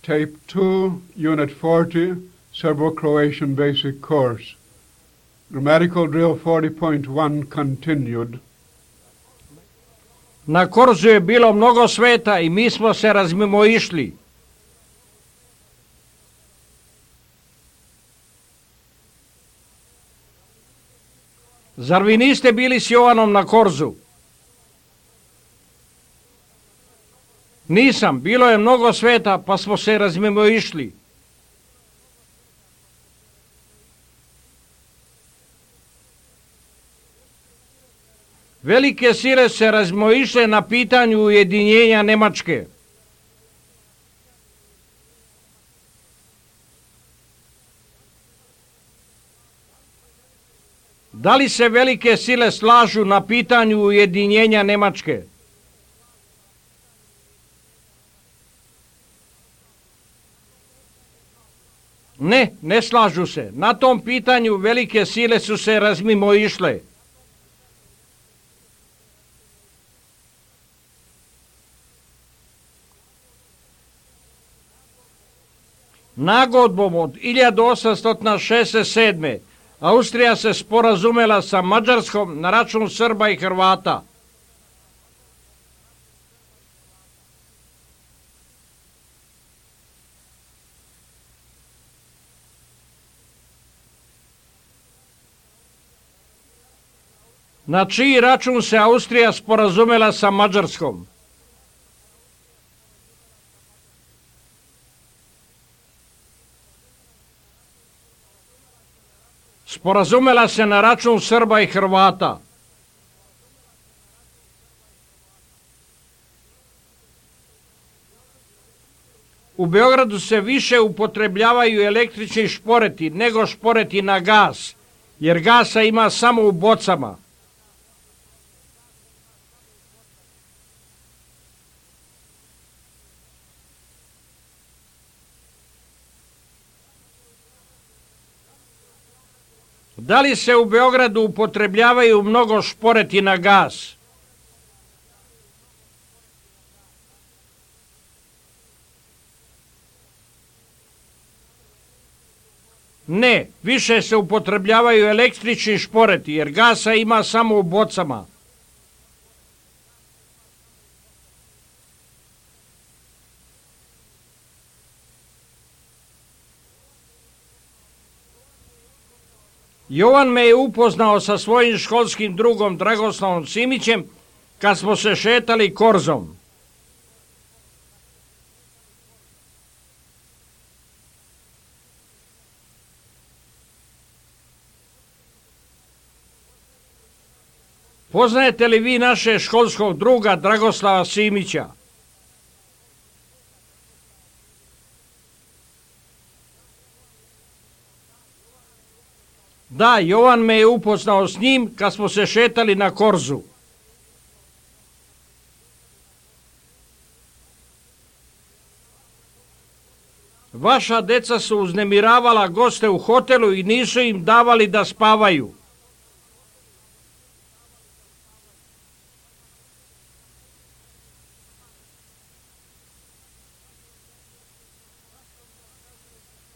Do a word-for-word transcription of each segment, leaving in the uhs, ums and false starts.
Tape two, Unit forty, Serbo-Croatian Basic Course. Grammatical Drill forty point one continued. Na Korzu je bilo mnogo sveta i mi smo se razmimoišli. Zar vi niste bili s Jovanom na Korzu? Nisam, bilo je mnogo sveta pa smo se razmimoišli. Velike sile se razmimoišle na pitanju ujedinjenja Nemačke. Da li se velike sile slažu na pitanju ujedinjenja Nemačke? Ne, ne slažu se. Na tom pitanju velike sile su se razmimoišle. Nagodbom od hiljadu osamsto šezdeset sedme. Austrija se sporazumela sa Mađarskom na račun Srba i Hrvata. Na čiji račun se Austrija sporazumela sa Mađarskom? Sporazumela se na račun Srba i Hrvata. U Beogradu se više upotrebljavaju električni šporeti nego šporeti na gas, jer gasa ima samo u bocama. Da li se u Beogradu upotrebljavaju mnogo šporeti na gas? Ne, više se upotrebljavaju električni šporeti, jer gasa ima samo u bocama. Jovan me je upoznao sa svojim školskim drugom Dragoslavom Simićem kad smo se šetali Korzom. Poznajete li vi naše školskog druga Dragoslava Simića? Da, Jovan me je upoznao s njim kad smo se šetali na Korzu. Vaša deca su uznemiravala goste u hotelu i nisu im davali da spavaju.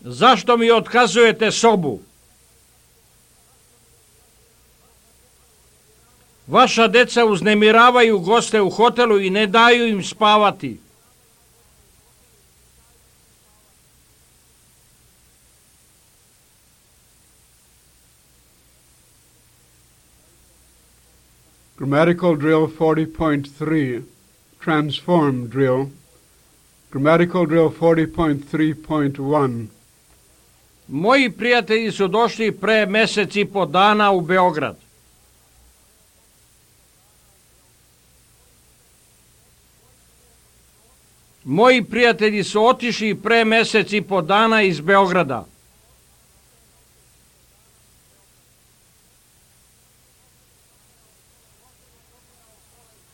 Zašto mi otkazujete sobu? Vaša deca uznemiravaju goste u hotelu i ne daju im spavati. Grammatical Drill forty point three, Transform Drill. Grammatical Drill forty point three point one. Moji prijatelji su došli pre mesec i po dana u Beograd. Moji prijatelji su otišli pre mesec i po dana iz Beograda.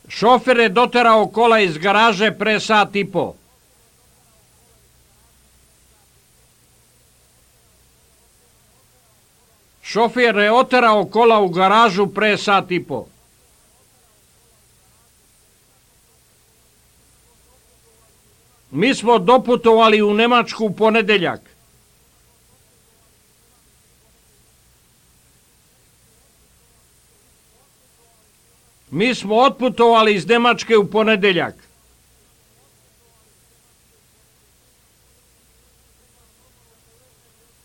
Šofer je doterao kola iz garaže pre sat i po. Šofer je oterao kola u garažu pre sat i po. Mi smo doputovali u Nemačku u ponedeljak. Mi smo otputovali iz Nemačke u ponedeljak.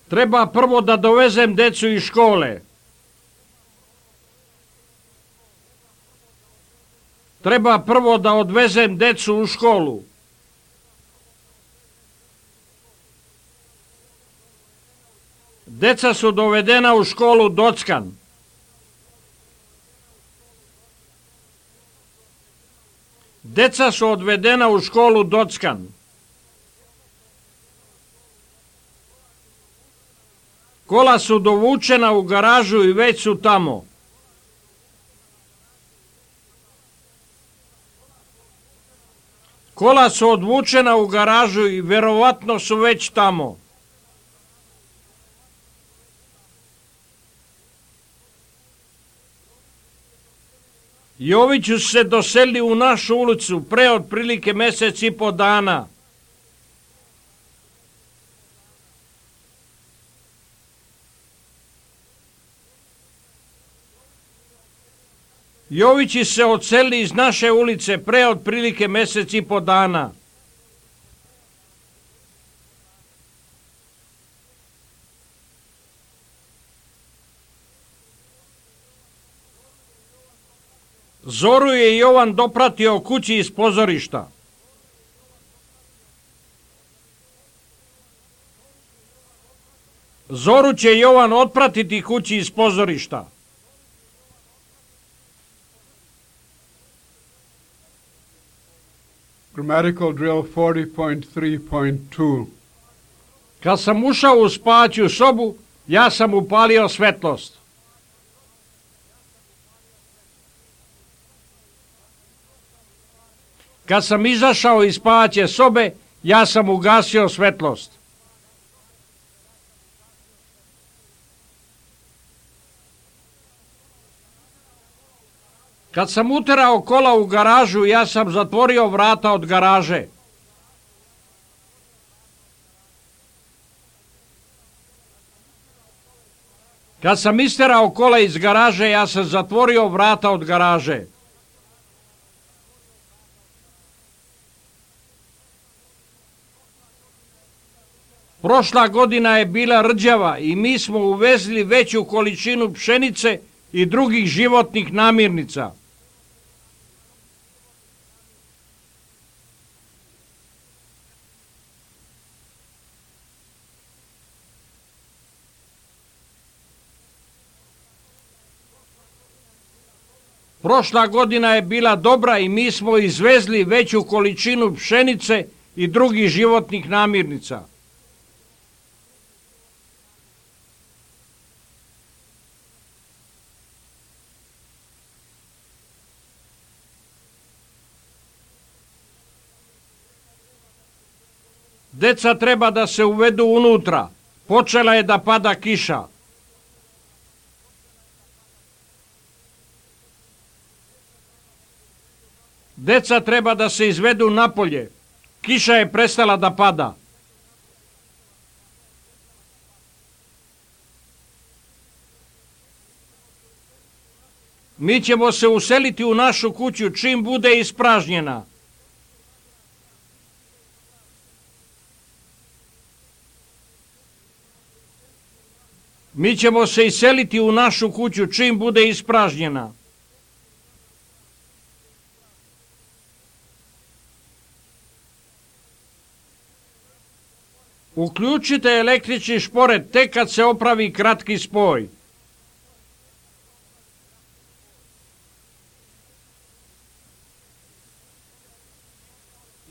Treba prvo da dovezem decu iz škole. Treba prvo da odvezem decu u školu. Deca su dovedena u školu Dockan. Deca su odvedena u školu Dockan. Kola su dovučena u garažu i već su tamo. Kola su odvučena u garažu i verovatno su već tamo. Jović su se doselili u našu ulicu pre otprilike mesec i po dana. Jovići se odselili iz naše ulice pre otprilike mesec i po dana. Zoru je Jovan dopratio kući iz pozorišta. Zoru će Jovan otpratiti kući iz pozorišta. Grammatical drill forty point three point two. Kad sam ušao u spavaću sobu, ja sam upalio svetlost. Kad sam izašao iz spavaće sobe, ja sam ugasio svetlost. Kad sam uterao kola u garažu, ja sam zatvorio vrata od garaže. Kad sam isterao kola iz garaže, ja sam zatvorio vrata od garaže. Prošla godina je bila rđava i mi smo uvezli veću količinu pšenice i drugih životnih namirnica. Prošla godina je bila dobra i mi smo izvezli veću količinu pšenice i drugih životnih namirnica. Deca treba da se uvedu unutra. Počela je da pada kiša. Deca treba da se izvedu napolje. Kiša je prestala da pada. Mi ćemo se useliti u našu kuću čim bude ispražnjena. Mi ćemo se iseliti u našu kuću čim bude ispražnjena. Uključite električni šporet tek kad se opravi kratki spoj.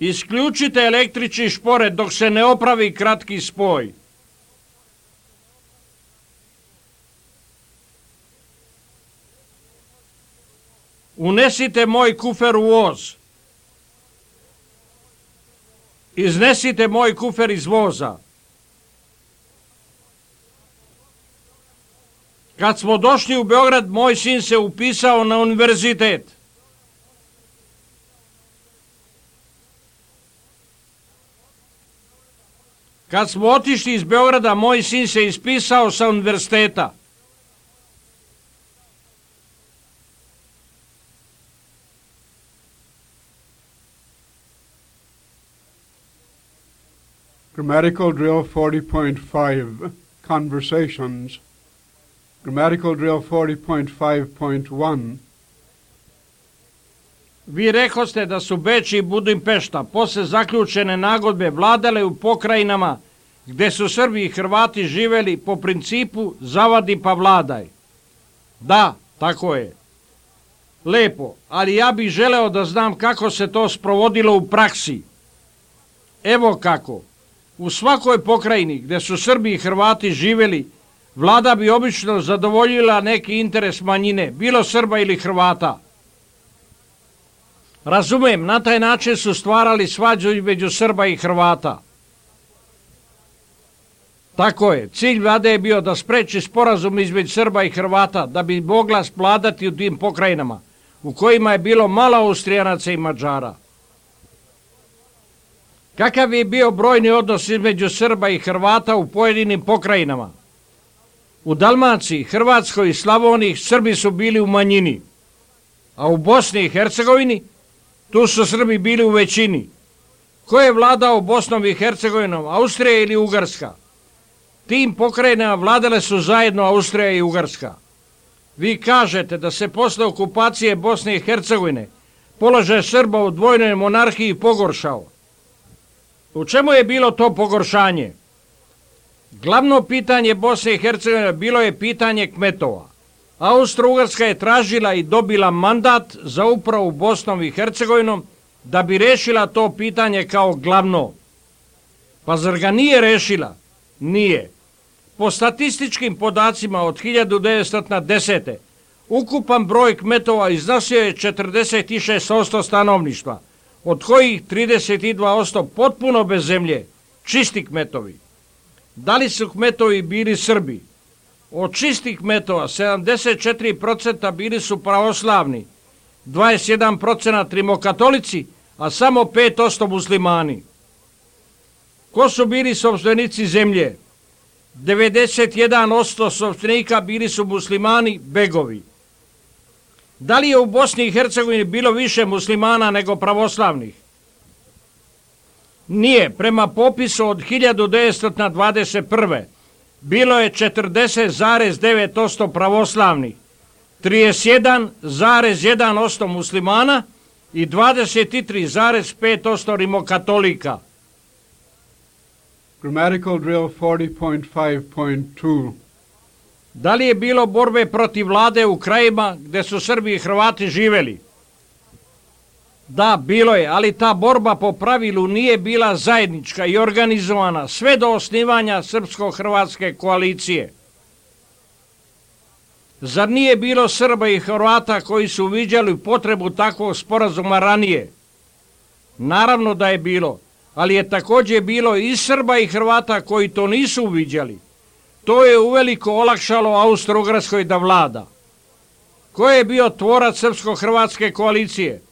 Isključite električni šporet dok se ne opravi kratki spoj. Unesite moj kufer u voz. Iznesite moj kufer iz voza. Kad smo došli u Beograd, moj sin se upisao na univerzitet. Kad smo otišli iz Beograda, moj sin se ispisao sa univerziteta. Grammatical drill forty point five, conversations. Grammatical drill forty point five point one. Vi rekoste da su Beč i Budimpešta posle zaključene nagodbe vladale u pokrajinama gde su Srbi i Hrvati živeli po principu zavadi pa vladaj. Da, tako je. Lepo, ali ja bih želeo da znam kako se to sprovodilo u praksi. Evo kako. U svakoj pokrajini gde su Srbi i Hrvati živeli, vlada bi obično zadovoljila neki interes manjine, bilo Srba ili Hrvata. Razumem, na taj način su stvarali svađu između Srba i Hrvata. Tako je, cilj vlade je bio da spreči sporazum između Srba i Hrvata, da bi mogla vladati u tim pokrajinama, u kojima je bilo malo Austrijanaca i Mađara. Kakav je bio brojni odnos između Srba i Hrvata u pojedinim pokrajinama? U Dalmaciji, Hrvatskoj i Slavoniji Srbi su bili u manjini, a u Bosni i Hercegovini tu su Srbi bili u većini. Ko je vladao Bosnom i Hercegovinom, Austrija ili Ugarska? Tim pokrajinama vladale su zajedno Austrija i Ugarska. Vi kažete da se posle okupacije Bosne i Hercegovine položaj Srba u dvojnoj monarhiji pogoršao. U čemu je bilo to pogoršanje? Glavno pitanje Bosne i Hercegovine bilo je pitanje kmetova. Austro-Ugarska je tražila i dobila mandat za upravu Bosnom i Hercegovinom da bi rešila to pitanje kao glavno. Pa zar ga nije rešila? Nije. Po statističkim podacima od hiljadu devetsto desete. ukupan broj kmetova iznosio je četrdeset šest posto stanovništva, od kojih trideset dva posto potpuno bez zemlje, čisti kmetovi. Da li su kmetovi bili Srbi? Od čistih kmetova sedamdeset četiri posto bili su pravoslavni, dvadeset jedan posto rimokatolici, a samo pet posto muslimani. Ko su bili sopstvenici zemlje? devedeset jedan posto sopstvenika bili su muslimani, begovi. Da li je u Bosni i Hercegovini bilo više muslimana nego pravoslavnih? Nije. Prema popisu od hiljadu devetsto dvadeset prve. bilo je četrdeset zarez devet posto pravoslavnih, trideset jedan zarez jedan posto muslimana i dvadeset tri zarez pet posto rimokatolika. Grammatical drill forty point five point two. Da li je bilo borbe protiv vlade u krajima gde su Srbi i Hrvati živeli? Da, bilo je, ali ta borba po pravilu nije bila zajednička i organizovana sve do osnivanja srpsko-hrvatske koalicije. Zar nije bilo Srba i Hrvata koji su uviđali potrebu takvog sporazuma ranije? Naravno da je bilo, ali je također bilo i Srba i Hrvata koji to nisu uviđali. To je uveliko olakšalo Austro-Ugarskoj da vlada. Ko je bio tvorac srpsko-hrvatske koalicije?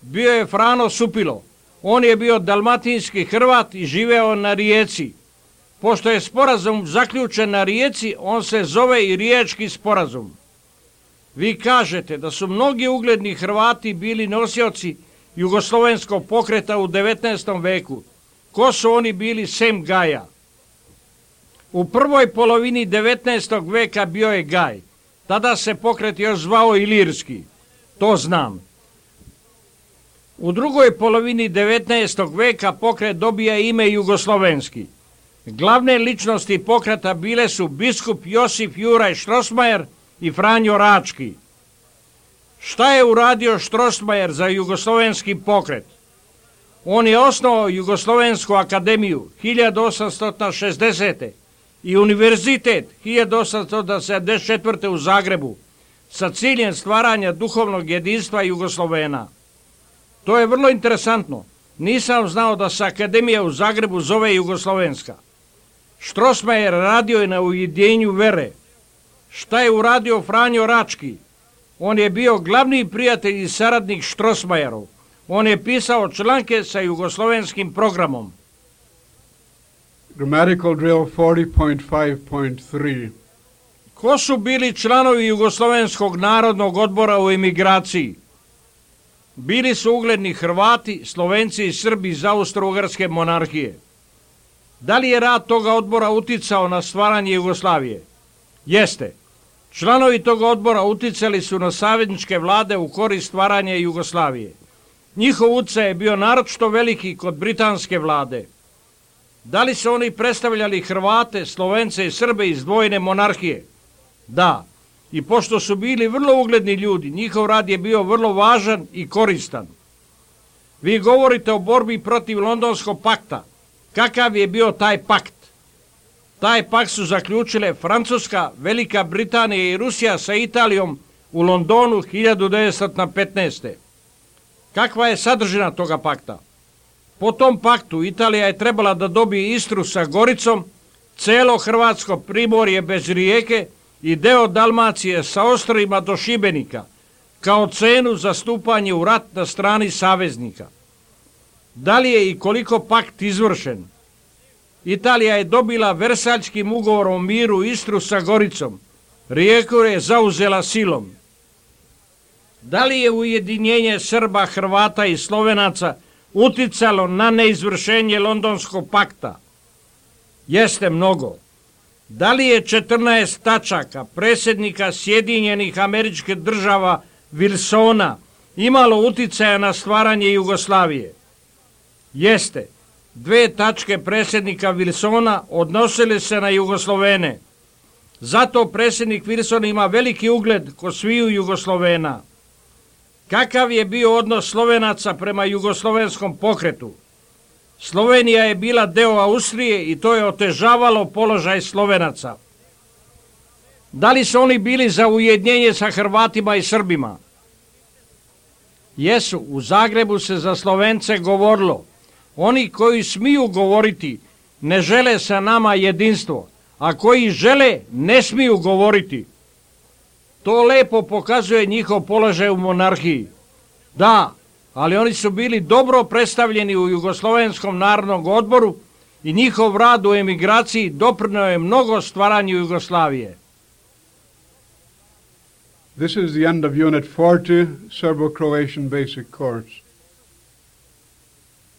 Bio je Frano Supilo. On je bio dalmatinski Hrvat i živeo na Rijeci. Pošto je sporazum zaključen na Rijeci, on se zove i Riječki sporazum. Vi kažete da su mnogi ugledni Hrvati bili nosioci jugoslovenskog pokreta u devetnaestom veku. Ko su oni bili sem Gaja? U prvoj polovini devetnaestog veka bio je Gaj. Tada se pokret još zvao Ilirski. To znam. U drugoj polovini devetnaestog veka pokret dobija ime Jugoslovenski. Glavne ličnosti pokreta bile su biskup Josip Juraj Štrosmajer i Franjo Rački. Šta je uradio Štrosmajer za jugoslovenski pokret? On je osnovao Jugoslovensku akademiju hiljadu osamsto šezdesete. i univerzitet hiljadu osamsto sedamdeset četvrte. u Zagrebu sa ciljem stvaranja duhovnog jedinstva Jugoslovena. To je vrlo interesantno. Nisam znao da se akademija u Zagrebu zove Jugoslovenska. Štrosmajer radio je na ujedinjenju vere. Šta je uradio Franjo Rački? On je bio glavni prijatelj i saradnik Štrosmajerov. On je pisao članke sa jugoslovenskim programom. Grammatical drill forty point five point three. Ko su bili članovi Jugoslovenskog narodnog odbora u emigraciji? Bili su ugledni Hrvati, Slovenci i Srbi iz Austro-Ugarske monarhije. Da li je rad toga odbora uticao na stvaranje Jugoslavije? Jeste. Članovi toga odbora uticali su na savezničke vlade u korist stvaranja Jugoslavije. Njihov utjecaj je bio naročito veliki kod britanske vlade. Da li su oni predstavljali Hrvate, Slovence i Srbe iz dvojne monarhije? Da. I pošto su bili vrlo ugledni ljudi, njihov rad je bio vrlo važan i koristan. Vi govorite o borbi protiv Londonskog pakta. Kakav je bio taj pakt? Taj pakt su zaključile Francuska, Velika Britanija i Rusija sa Italijom u Londonu hiljadu devetsto petnaeste. Kakva je sadržina toga pakta? Po tom paktu Italija je trebala da dobije Istru sa Goricom, celo Hrvatsko primorje bez rijeke i deo Dalmacije sa ostrvima do Šibenika, kao cenu za stupanje u rat na strani saveznika. Da li je i koliko pakt izvršen? Italija je dobila Versaljskim ugovorom o miru Istru sa Goricom. Rijeku je zauzela silom. Da li je ujedinjenje Srba, Hrvata i Slovenaca uticalo na neizvršenje Londonskog pakta? Jeste mnogo. Da li je četrnaest tačaka predsjednika Sjedinjenih Američkih Država Wilsona imalo uticaja na stvaranje Jugoslavije? Jeste. Dve tačke predsjednika Wilsona odnosile se na Jugoslovene. Zato predsjednik Wilson ima veliki ugled kod sviju Jugoslovena. Kakav je bio odnos Slovenaca prema jugoslovenskom pokretu? Slovenija je bila deo Austrije i to je otežavalo položaj Slovenaca. Da li su oni bili za ujedinjenje sa Hrvatima i Srbima? Jesu, u Zagrebu se za Slovence govorilo. Oni koji smiju govoriti ne žele sa nama jedinstvo, a koji žele ne smiju govoriti. To lepo pokazuje njihov položaj u monarhiji. Da, ali oni su bili dobro predstavljeni u Jugoslovenskom narodnom odboru i njihov rad u emigraciji doprineo je mnogo stvaranju Jugoslavije. This is the end of Unit forty, Serbo-Croatian Basic Course.